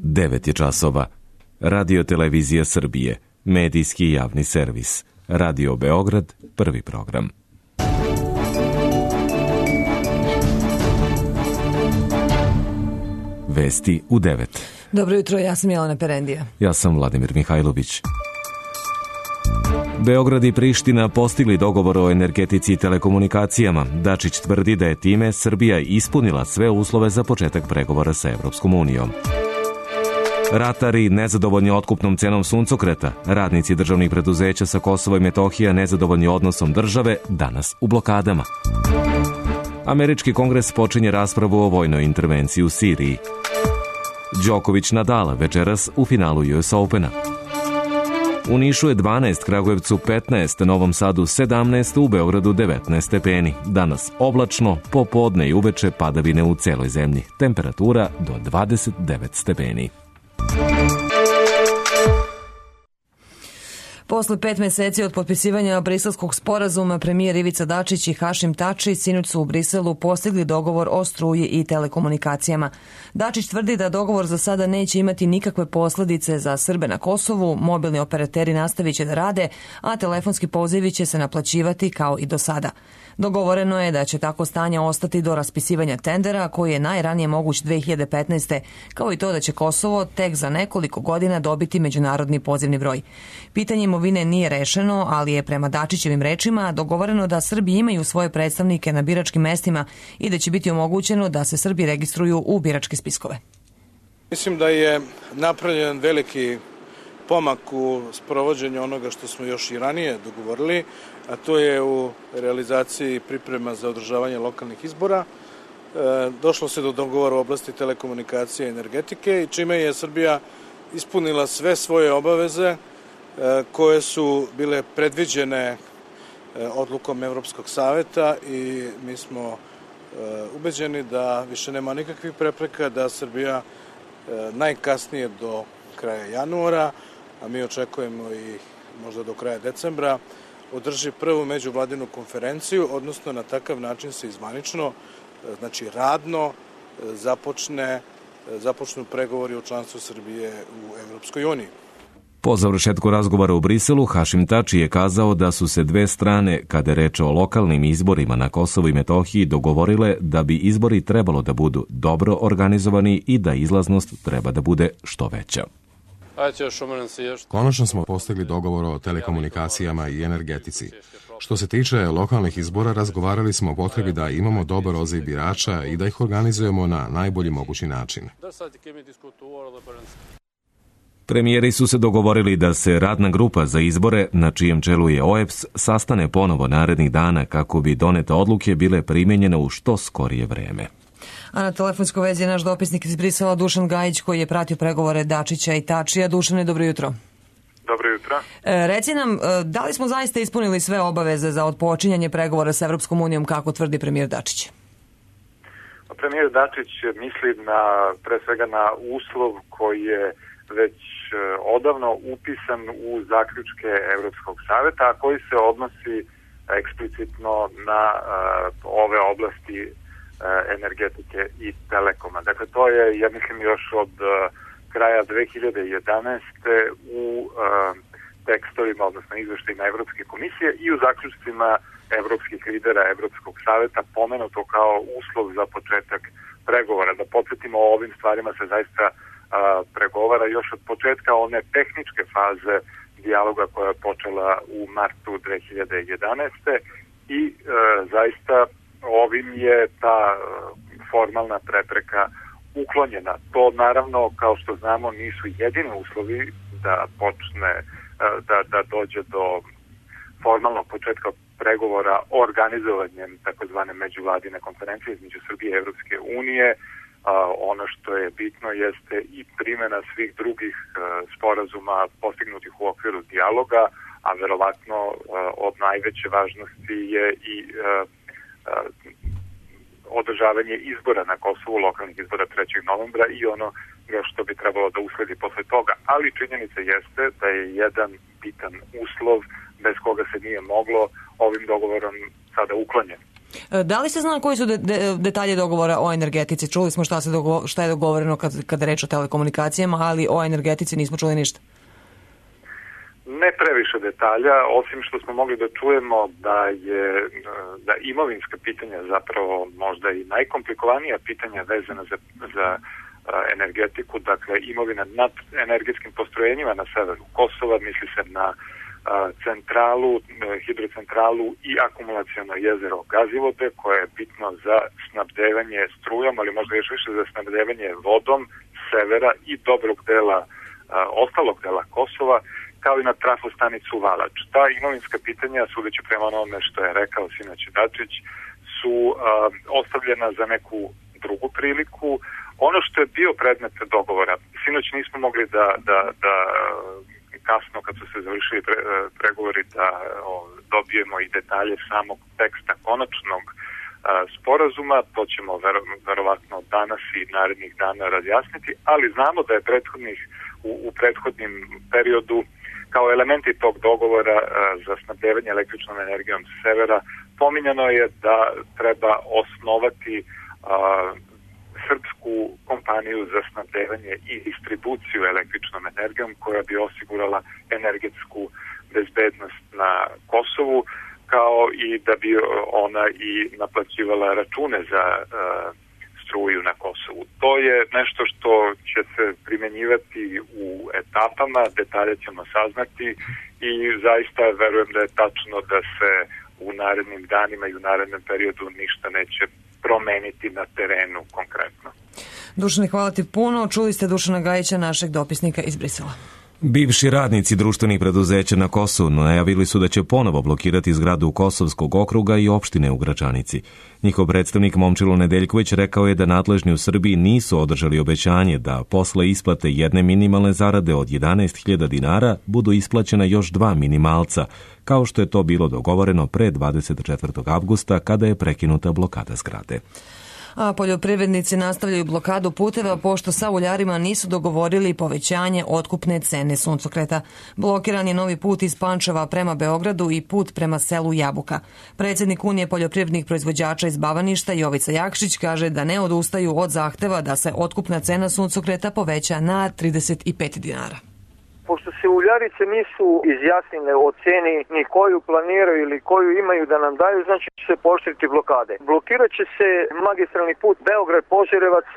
9 je časova. Radio Televizija Srbije, medijski javni servis. Radio Beograd, prvi program. Vesti u 9. Dobro jutro, ja sam Jelena Perendija. Ja sam Vladimir Mihajlović. Beograd i Priština postigli dogovor o energetici i telekomunikacijama. Dačić tvrdi da je time Srbija ispunila sve uslove za početak pregovora sa Evropskom unijom. Ratari nezadovoljni otkupnom cenom suncokreta, radnici državnih preduzeća sa Kosova i Metohija nezadovoljni odnosom države, danas u blokadama. Američki kongres počinje raspravu o vojnoj intervenciji u Siriji. Đoković Nadal večeras u finalu US Opena. U Nišu je 12, Kragujevcu 15, Novom Sadu 17, u Beogradu 19 stepeni. Danas oblačno, popodne i uveče padavine u celoj zemlji. Temperatura do 29 stepeni. Posle 5 meseci od potpisivanja Briselskog sporazuma, premijer Ivica Dačić i Hašim Tači sinoć su u Briselu postigli dogovor o struji i telekomunikacijama. Dačić tvrdi da dogovor za sada neće imati nikakve posledice za Srbe na Kosovu, mobilni operateri nastavit će da rade, a telefonski pozivi će se naplaćivati kao i do sada. Dogovoreno je da će tako stanje ostati do raspisivanja tendera, koji je najranije moguć 2015. kao i to da će Kosovo tek za nekoliko godina dobiti međunarodni pozivni broj. Pitanje imovine nije rešeno, ali je prema Dačićevim rečima dogovoreno da Srbi imaju svoje predstavnike na biračkim mestima i da će biti omogućeno da se Srbi registruju u biračke spiskove. Mislim da je napravljen veliki pomak u sprovođenju onoga što smo još i ranije dogovorili, a to je u realizaciji priprema za održavanje lokalnih izbora. Došlo se do dogovora u oblasti telekomunikacije i energetike i čime je Srbija ispunila sve svoje obaveze koje su bile predviđene odlukom Evropskog saveta i mi smo ubeđeni da više nema nikakvih prepreka, da Srbija najkasnije do kraja januara, a mi očekujemo i možda do kraja decembra, održi prvu međuvladinu konferenciju, odnosno na takav način se izvanično, znači radno, započnu pregovori o članstvu Srbije u Evropskoj uniji. Po završetku razgovora u Briselu, Hašim Tači je kazao da su se dve strane, kada je reč o lokalnim izborima na Kosovu i Metohiji, dogovorile da bi izbori trebalo da budu dobro organizovani i da izlaznost treba da bude što veća. Konačno smo postigli dogovor o telekomunikacijama i energetici. Što se tiče lokalnih izbora, razgovarali smo o potrebi da imamo dobar odziv birača i da ih organizujemo na najbolji mogući način. Premijeri su se dogovorili da se radna grupa za izbore, na čijem čelu je OEBS, sastane ponovo narednih dana kako bi donete odluke bile primenjene u što skorije vreme. A na telefonskoj vezi je naš dopisnik iz Brisela Dušan Gajić, koji je pratio pregovore Dačića i Tačija. Dušane, dobro jutro. Dobro jutro. Reci nam, da li smo zaista ispunili sve obaveze za odpočinjanje pregovora sa Evropskom unijom, kako tvrdi premijer Dačić? Premijer Dačić misli pre svega na uslov koji je već odavno upisan u zaključke Evropskog saveta, a koji se odnosi eksplicitno na ove oblasti energetike i telekoma. Dakle, to je, ja mislim, još od kraja 2011. u tekstovima, odnosno izveštajima Evropske komisije i u zaključcima evropskih lidera Evropskog saveta pomenuto kao uslov za početak pregovora. Da podsjetimo, o ovim stvarima se zaista pregovara još od početka one tehničke faze dijaloga koja je počela u martu 2011. i zaista ovim je ta formalna prepreka uklonjena. To naravno, kao što znamo, nisu jedini uslovi da počne, da dođe do formalnog početka pregovora organizovanjem takozvane međuvladine konferencije između Srbije i Evropske unije. Ono što je bitno jeste i primjena svih drugih sporazuma postignutih u okviru dijaloga, a verovatno od najveće važnosti je i održavanje izbora na Kosovu, lokalnih izbora 3. novembra i ono što bi trebalo da usledi posle toga. Ali činjenica jeste da je jedan bitan uslov bez koga se nije moglo ovim dogovorom sada uklonjen. Da li se zna koji su detalje dogovora o energetici? Čuli smo šta je dogovoreno kada reč o telekomunikacijama, ali o energetici nismo čuli ništa. Ne previše detalja, osim što smo mogli da čujemo da imovinska pitanja zapravo možda i najkomplikovanija pitanja vezana za energetiku, dakle imovina nad energetskim postrojenjima na severu Kosova, misli se na centralu, hidrocentralu i akumulaciono jezero Gazivode, koje je bitno za snabdevanje strujom, ali možda još više za snabdevanje vodom severa i dobrog dela, ostalog dela Kosova, kao i na trafostanicu Valač. Ta imovinska pitanja, sudeći prema onome što je rekao sinoć Dačić, su ostavljena za neku drugu priliku. Ono što je bio predmet dogovora, sinoć nismo mogli da kasno kad su se završili pregovori da dobijemo i detalje samog teksta konačnog sporazuma, to ćemo verovatno danas i narednih dana razjasniti, ali znamo da je u prethodnim periodu kao elementi tog dogovora za snabdevanje električnom energijom s severa pominjano je da treba osnovati srpsku kompaniju za snabdevanje i distribuciju električnom energijom koja bi osigurala energetsku bezbednost na Kosovu, kao i da bi ona i naplaćivala račune za struju na Kosovu. To je nešto što će se primenjivati u etapama, detalje ćemo saznati i zaista verujem da je tačno da se u narednim danima i u narednom periodu ništa neće promeniti na terenu konkretno. Dušane, hvala ti puno. Čuli ste Dušana Gajića, našeg dopisnika iz Brisela. Bivši radnici društvenih preduzeća na Kosovu najavili su da će ponovo blokirati zgradu Kosovskog okruga i opštine u Gračanici. Njihov predstavnik Momčilo Nedeljković rekao je da nadležni u Srbiji nisu održali obećanje da posle isplate jedne minimalne zarade od 11.000 dinara budu isplaćena još 2 minimalca, kao što je to bilo dogovoreno pre 24. avgusta kada je prekinuta blokada zgrade. A poljoprivrednici nastavljaju blokadu puteva pošto sa uljarima nisu dogovorili povećanje otkupne cene suncokreta. Blokiran je novi put iz Pančeva prema Beogradu i put prema selu Jabuka. Predsjednik Unije poljoprivrednih proizvođača iz Bavaništa Jovica Jakšić kaže da ne odustaju od zahteva da se otkupna cena suncokreta poveća na 35 dinara. Pošto se uljarice nisu izjasnile o ceni ni koju planiraju ili koju imaju da nam daju, znači će se pooštriti blokade. Blokirat će se magistralni put Beograd-Požarevac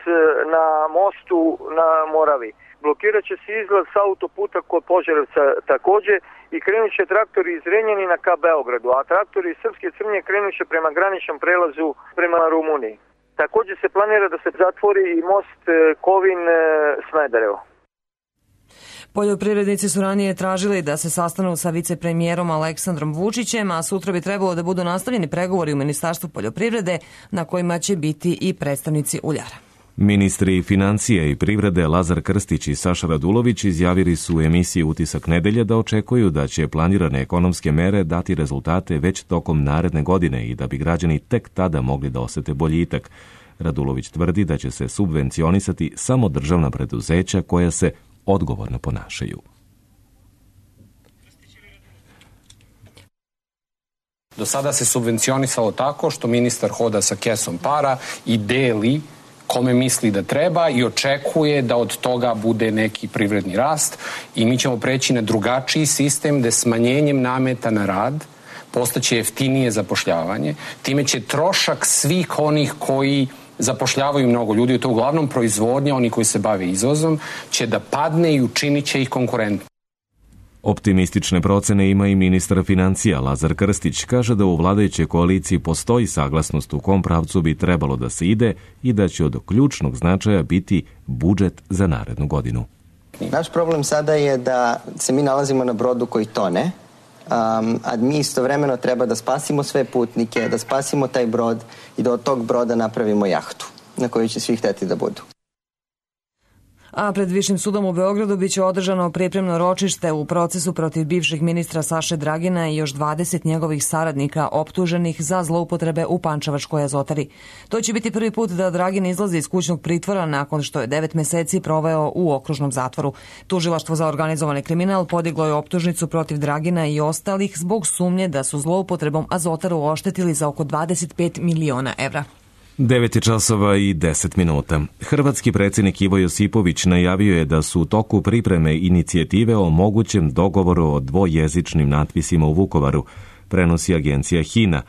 na mostu na Moravi. Blokirat će se izlaz s autoputa kod Požarevca također i krenut će traktori iz Renjanina ka Beogradu, a traktori iz Srpske Crnje krenut će prema graničnom prelazu prema Rumuniji. Također se planira da se zatvori i most Kovin-Smederevo. Poljoprivrednici su ranije tražili da se sastanu sa vicepremijerom Aleksandrom Vučićem, a sutra bi trebalo da budu nastavljeni pregovori u Ministarstvu poljoprivrede na kojima će biti i predstavnici uljara. Ministri financije i privrede Lazar Krstić i Saša Radulović izjavili su u emisiji Utisak nedelje da očekuju da će planirane ekonomske mere dati rezultate već tokom naredne godine i da bi građani tek tada mogli da osete boljitak. Radulović tvrdi da će se subvencionisati samo državna preduzeća koja se odgovorno ponašaju. Do sada se subvencionisalo tako što ministar hoda sa kesom para i deli kome misli da treba i očekuje da od toga bude neki privredni rast i mi ćemo preći na drugačiji sistem gde smanjenjem nameta na rad postaće jeftinije zapošljavanje. Time će trošak svih onih koji zapošljavaju mnogo ljudi, to uglavnom proizvodnja, oni koji se bave izvozom, će da padne i učinit će ih konkurentnim. Optimistične procene ima i ministar financija Lazar Krstić. Kaže da u vladajućoj koaliciji postoji saglasnost u kom pravcu bi trebalo da se ide i da će od ključnog značaja biti budžet za narednu godinu. Naš problem sada je da se mi nalazimo na brodu koji tone, a mi istovremeno treba da spasimo sve putnike, da spasimo taj brod i da od tog broda napravimo jahtu na kojoj će svi hteti da budu. A pred Višim sudom u Beogradu biće održano pripremno ročište u procesu protiv bivšeg ministra Saše Dragina i još 20 njegovih saradnika optuženih za zloupotrebe u Pančevačkoj azotari. To će biti prvi put da Dragin izlazi iz kućnog pritvora nakon što je 9 meseci proveo u okružnom zatvoru. Tužilaštvo za organizovani kriminal podiglo je optužnicu protiv Dragina i ostalih zbog sumnje da su zloupotrebom azotaru oštetili za oko 25 miliona evra. 9 časova i 10 minuta. Hrvatski predsjednik Ivo Josipović najavio je da su u toku pripreme inicijative o mogućem dogovoru o dvojezičnim natpisima u Vukovaru, prenosi agencija HINA.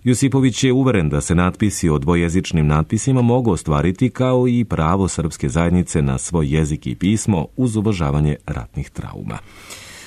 Josipović je uveren da se natpisi o dvojezičnim natpisima mogu ostvariti kao i pravo srpske zajednice na svoj jezik i pismo uz uvažavanje ratnih trauma.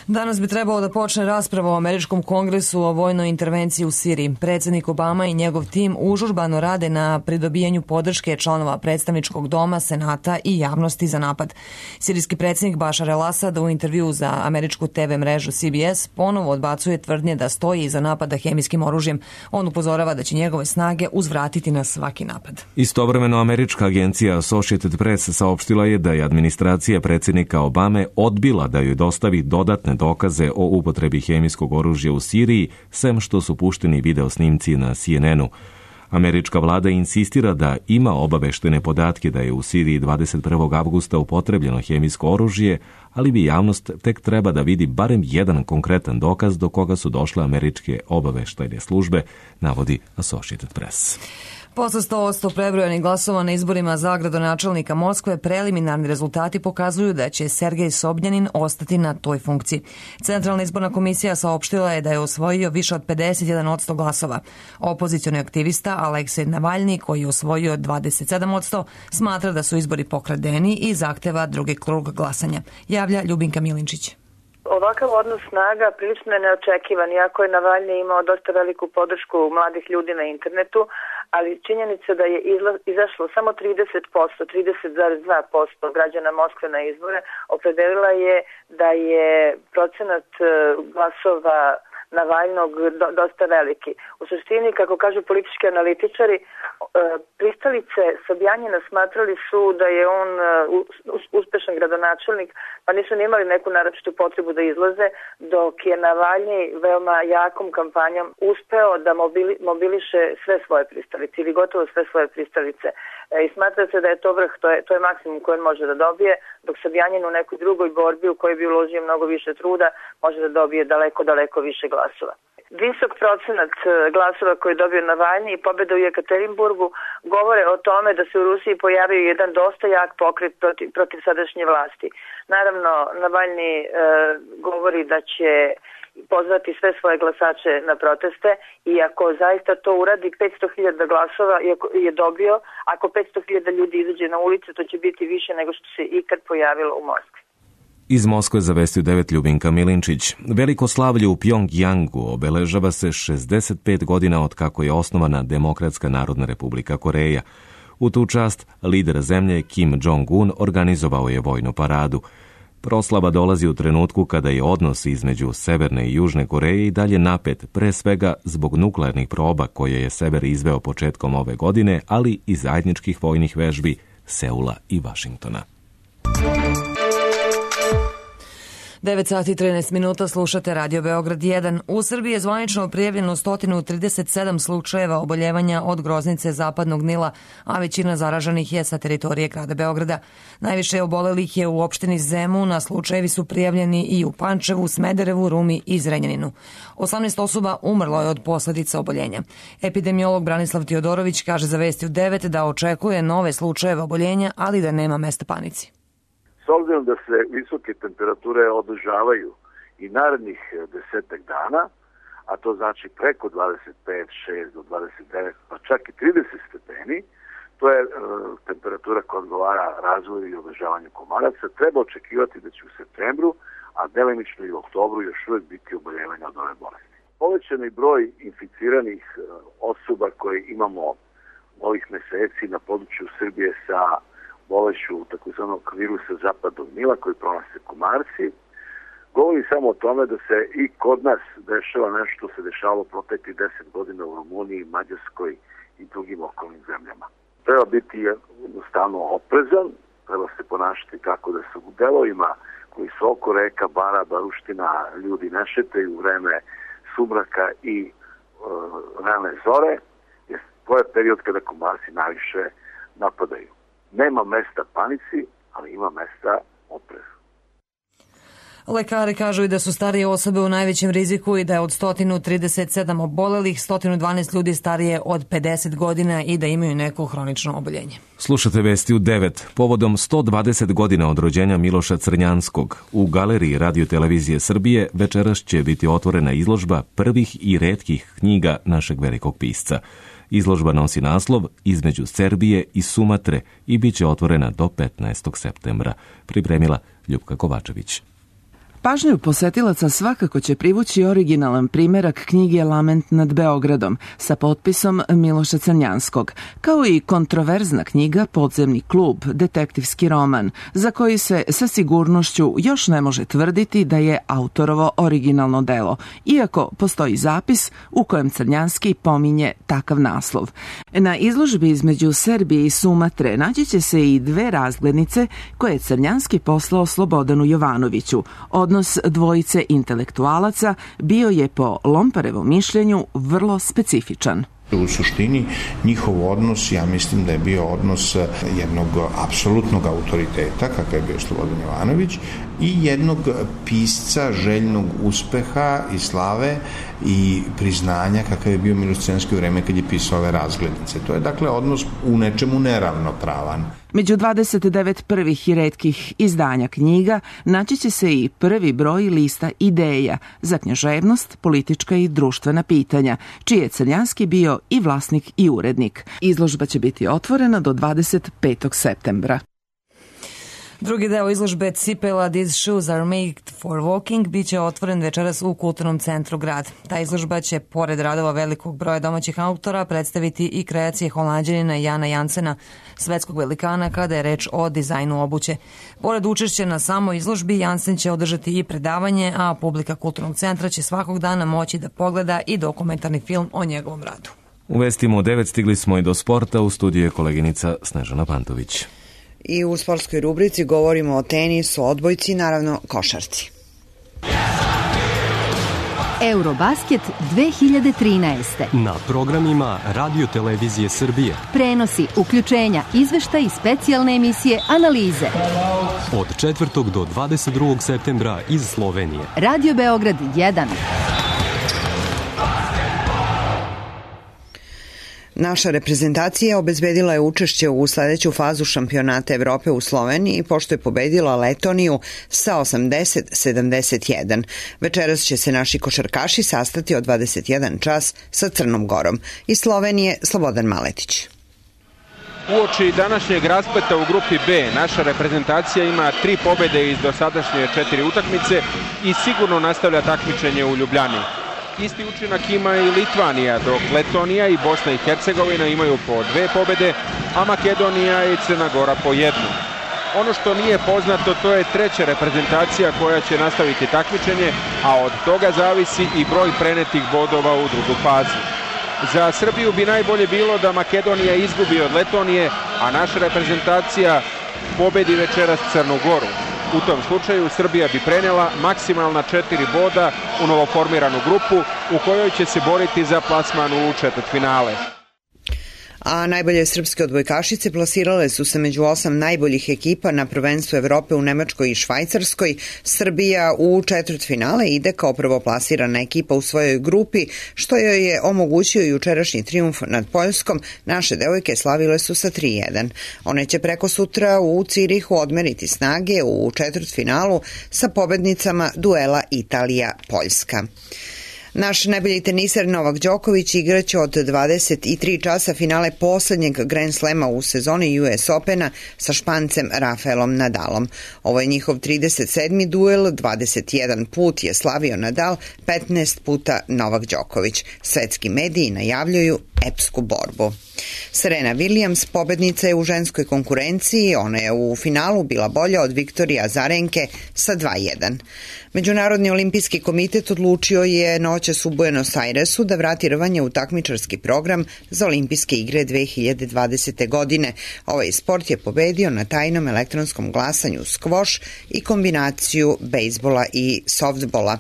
Danas bi trebalo da počne rasprava o američkom kongresu o vojnoj intervenciji u Siriji. Predsjednik Obama i njegov tim užurbano rade na pridobijanju podrške članova predstavničkog doma, senata i javnosti za napad. Sirijski predsjednik Bašar el-Asad u intervju za američku TV mrežu CBS ponovo odbacuje tvrdnje da stoji iza napada hemijskim oružjem. On upozorava da će njegove snage uzvratiti na svaki napad. Istovremeno američka agencija Associated Press saopštila je da je administracija predsjednika Obame odbila da joj dostavi dodatne dokaze o upotrebi hemijskog oružja u Siriji, sem što su pušteni video snimci na CNN-u. Američka vlada insistira da ima obaveštene podatke da je u Siriji 21. avgusta upotrebljeno hemijsko oružje, ali bi javnost tek treba da vidi barem jedan konkretan dokaz do koga su došle američke obaveštajne službe, navodi Associated Press. Posle 100% prebrojanih glasova na izborima za gradonačelnika Moskve, preliminarni rezultati pokazuju da će Sergej Sobnjanin ostati na toj funkciji. Centralna izborna komisija saopštila je da je osvojio više od 51% glasova. Opozicioni aktivista Aleksej Navalni, koji je osvojio 27%, smatra da su izbori pokradeni i zahteva drugi krug glasanja. Javlja Ljubinka Milinčić. Ovakav odnos snaga prilično je neočekivan, iako je Navalni imao dosta veliku podršku mladih ljudi na internetu, ali činjenica da je izašlo samo 30% građana Moskve na izbore, opredelila je da je procenat glasova Navalnog dosta veliki. U suštini, kako kažu politički analitičari, pristalice Sobjanjina smatrali su da je on uspešan gradonačelnik, pa nisu ni imali neku naročitu potrebu da izlaze, dok je Navalni veoma jakom kampanjom uspeo da mobiliše sve svoje pristalice ili gotovo sve svoje pristalice. I smatra se da je to vrh, to je maksimum koji on može da dobije, dok Sobjanjin u nekoj drugoj borbi u kojoj bi uložio mnogo više truda može da dobije daleko više glasova. Visok procenat glasova koji je dobio Navalni i pobjeda u Jekaterinburgu govore o tome da se u Rusiji pojavio jedan dosta jak pokret protiv sadašnje vlasti. Naravno, Navalni govori da će pozvati sve svoje glasače na proteste i ako zaista to uradi 500.000 glasova je dobio, ako 500.000 ljudi izađe na ulicu, to će biti više nego što se ikad pojavilo u Moskvi. Iz Moskve za Vesti u 9 Ljubinka Milinčić. Veliko slavlje u Pjongjangu obeležava se 65 godina od kako je osnovana Demokratska narodna republika Koreja. U tu čast lider zemlje Kim Jong-un organizovao je vojnu paradu. Proslava dolazi u trenutku kada je odnos između Severne i Južne Koreje i dalje napet, pre svega zbog nuklearnih proba koje je Sever izveo početkom ove godine, ali i zajedničkih vojnih vežbi Seula i Vašingtona. 9 sati i 13 minuta, slušate Radio Beograd 1. U Srbiji je zvanično prijavljeno 137 slučajeva oboljevanja od groznice Zapadnog Nila, a većina zaraženih je sa teritorije grada Beograda. Najviše obolelih je u opštini Zemun, a slučajevi su prijavljeni i u Pančevu, Smederevu, Rumi i Zrenjaninu. 18 osoba umrlo je od posledica oboljenja. Epidemiolog Branislav Teodorović kaže za Vesti u 9 da očekuje nove slučajeve oboljenja, ali da nema mesta panici. S obzirom da se visoke temperature održavaju i narednih 10 dana, a to znači preko 25, 6 do 29, pa čak i 30 stepeni, to je temperatura koja odgovara razvoju i održavanju komaraca, treba očekivati da će u septembru, a delimično i u oktobru još uvijek biti oboljevanja od ove bolesti. Povećani broj inficiranih osoba koje imamo ovih meseci na području Srbije sa bolešću takozvanog virusa Zapadnog Nila koji pronose komarci, govori samo o tome da se i kod nas dešava nešto što se dešavalo proteklih 10 godina u Rumuniji, Mađarskoj i drugim okolnim zemljama. Treba biti jednostavno oprezan, treba se ponašati tako da se u delovima koji su oko reka, bara, baruština, ljudi ne šetaju u vreme sumraka i rane zore, jer to je period kada komarci najviše napadaju. Nema mesta panici, ali ima mesta oprezu. Lekari kažu i da su starije osobe u najvećem riziku i da je od 137 obolelih 112 ljudi starije od 50 godina i da imaju neko hronično oboljenje. Slušate vesti u 9. Povodom 120 godina od rođenja Miloša Crnjanskog u Galeriji Radio Televizije Srbije večeras će biti otvorena izložba prvih i retkih knjiga našeg velikog pisca. Izložba nosi naslov Između Serbije i Sumatre i bit će otvorena do 15. septembra. Pripremila Ljupka Kovačević. Pažnju posetilaca svakako će privući originalan primerak knjige Lament nad Beogradom sa potpisom Miloša Crnjanskog, kao i kontroverzna knjiga Podzemni klub, detektivski roman, za koji se sa sigurnošću još ne može tvrditi da je autorovo originalno delo, iako postoji zapis u kojem Crnjanski pominje takav naslov. Na izložbi Između Serbije i Sumatre naći će se i dve razglednice koje je Crnjanski poslao Slobodanu Jovanoviću. Odnos dvojice intelektualaca bio je po Lomparevom mišljenju vrlo specifičan. U suštini njihov odnos, ja mislim da je bio odnos jednog apsolutnog autoriteta, kakav je bio Slobodan Jovanović, i jednog pisca željnog uspeha i slave i priznanja kakav je bio Miloš Crnjanski u vreme kad je pisao ove razglednice. To je dakle odnos u nečemu neravnopravan. Među 29 prvih i retkih izdanja knjiga naći će se i prvi broj lista ideja za književnost, politička i društvena pitanja, čiji je Crnjanski bio i vlasnik i urednik. Izložba će biti otvorena do 25. septembra. Drugi deo izložbe Cipela These Shoes Are Made for Walking biće otvoren večeras u Kulturnom centru Grad. Ta izložba će, pored radova velikog broja domaćih autora, predstaviti i kreacije Holanđanina Jana Jansena, svetskog velikana kada je reč o dizajnu obuće. Pored učešća na samoj izložbi, Jansen će održati i predavanje, a publika Kulturnog centra će svakog dana moći da pogleda i dokumentarni film o njegovom radu. U vestima u 9 stigli smo i do sporta, u studiju je koleginica Snežana Pantović. I u sportskoj rubrici govorimo o tenisu, odbojci i naravno košarci. Eurobasket 2013. Na programima Radio Televizije Srbije. Prenosi, uključenja, izveštaj i specijalne emisije, analize. Od 4. do 22. septembra iz Slovenije. Radio Beograd 1. Naša reprezentacija obezbedila je učešće u sledeću fazu šampionata Evrope u Sloveniji pošto je pobedila Letoniju sa 80-71. Večeras će se naši košarkaši sastati od 21 čas sa Crnom Gorom. Iz Slovenije Slobodan Maletić. Uoči današnjeg raspleta u grupi B, naša reprezentacija ima 3 pobede iz dosadašnje 4 utakmice i sigurno nastavlja takmičenje u Ljubljani. Isti učinak ima i Litvanija, dok Letonija i Bosna i Hercegovina imaju po 2 pobede, a Makedonija i Crna Gora po 1. Ono što nije poznato, to je treća reprezentacija koja će nastaviti takmičenje, a od toga zavisi i broj prenetih bodova u drugu fazu. Za Srbiju bi najbolje bilo da Makedonija izgubi od Letonije, a naša reprezentacija pobedi večeras Crnu Goru. U tom slučaju Srbija bi prenela maksimalna 4 boda u novoformiranu grupu u kojoj će se boriti za plasman u četvrtfinale. A najbolje srpske odbojkašice plasirale su se među 8 najboljih ekipa na prvenstvu Evrope u Nemačkoj i Švajcarskoj. Srbija u četvrtfinale ide kao prvoplasirana ekipa u svojoj grupi, što joj je omogućio jučerašnji trijumf nad Poljskom. Naše devojke slavile su sa 3-1. One će preko sutra u Cirihu odmeriti snage u četvrtfinalu sa pobednicama duela Italija-Poljska. Naš najbolji teniser Novak Đoković igraće od 23 časa finale poslednjeg Grand Slema u sezoni US Opena sa Špancem Rafaelom Nadalom. Ovo je njihov 37. duel, 21 put je slavio Nadal, 15 puta Novak Đoković. Svetski mediji najavljuju epsku borbu. Serena Williams pobednica je u ženskoj konkurenciji, ona je u finalu bila bolja od Viktorije Azarenke sa 2:1. Međunarodni olimpijski komitet odlučio je noćas u Buenos Airesu da vrati rvanje u takmičarski program za olimpijske igre 2020. godine. Ovaj sport je pobedio na tajnom elektronskom glasanju skvoš i kombinaciju bejsbola i softbola.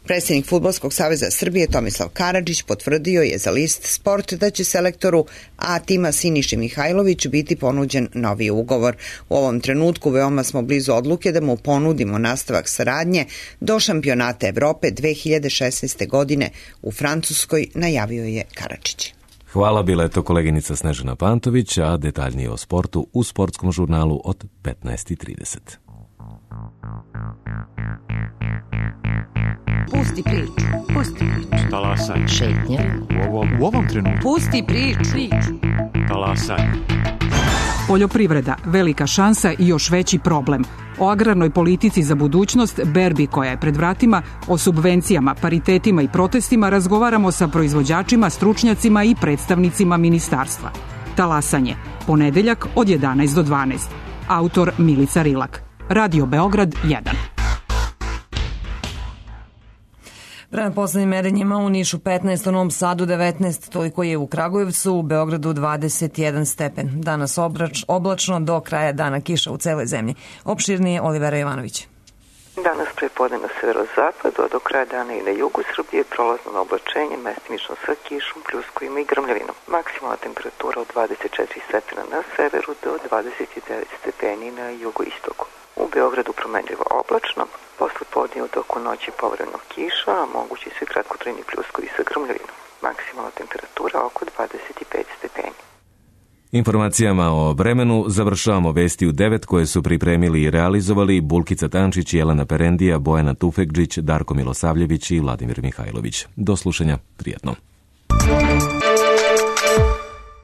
Predsjednik Fudbalskog saveza Srbije Tomislav Karadžić potvrdio je za list Sport da će selektoru A tima Siniši Mihajlović biti ponuđen novi ugovor. U ovom trenutku veoma smo blizu odluke da mu ponudimo nastavak saradnje do šampionata Evrope 2016. godine u Francuskoj, najavio je Karadžić. Hvala, bila je to koleginica Snežana Pantović, a detaljnije o sportu u sportskom žurnalu od 15:30. Pusti priču. Pusti priču. Talasaj. Šetnja. U ovom trenutku. Pusti priču. Talasaj. Poljoprivreda, velika šansa i još veći problem. O agrarnoj politici za budućnost, berbi koja je pred vratima, o subvencijama, paritetima i protestima razgovaramo sa proizvođačima, stručnjacima i predstavnicima ministarstva. Talasanje, ponedeljak od 11 do 12. Autor Milica Rilak. Radio Beograd 1. Prema poslednjim merenjima u Nišu 15, u Novom Sadu 19, toliko je u Kragujevcu, u Beogradu 21 stepen. Danas oblačno, do kraja dana kiša u celoj zemlji. Opširnije Olivera Jovanović. Danas prepodne na severozapadu, a do kraja dana i na jugu Srbije prolazno na oblačenje, mestimično sa kišom, pljuskovima i grmljavinom. Maksimalna temperatura od 24 stepena na severu do 29 stepeni na jugoistoku. U Beogradu promenljivo oblačno, posle podne u toku noći povremeno kiša, a mogući su i kratkotrajni pljuskovi sa grmljavinom. Maksimalna temperatura oko 25 stepeni. Informacijama o vremenu završavamo vesti u 9 koje su pripremili i realizovali Bulkica Tančić, Jelena Perendija, Bojana Tufekđić, Darko Milosavljević i Vladimir Mihajlović. Do slušanja, prijatno.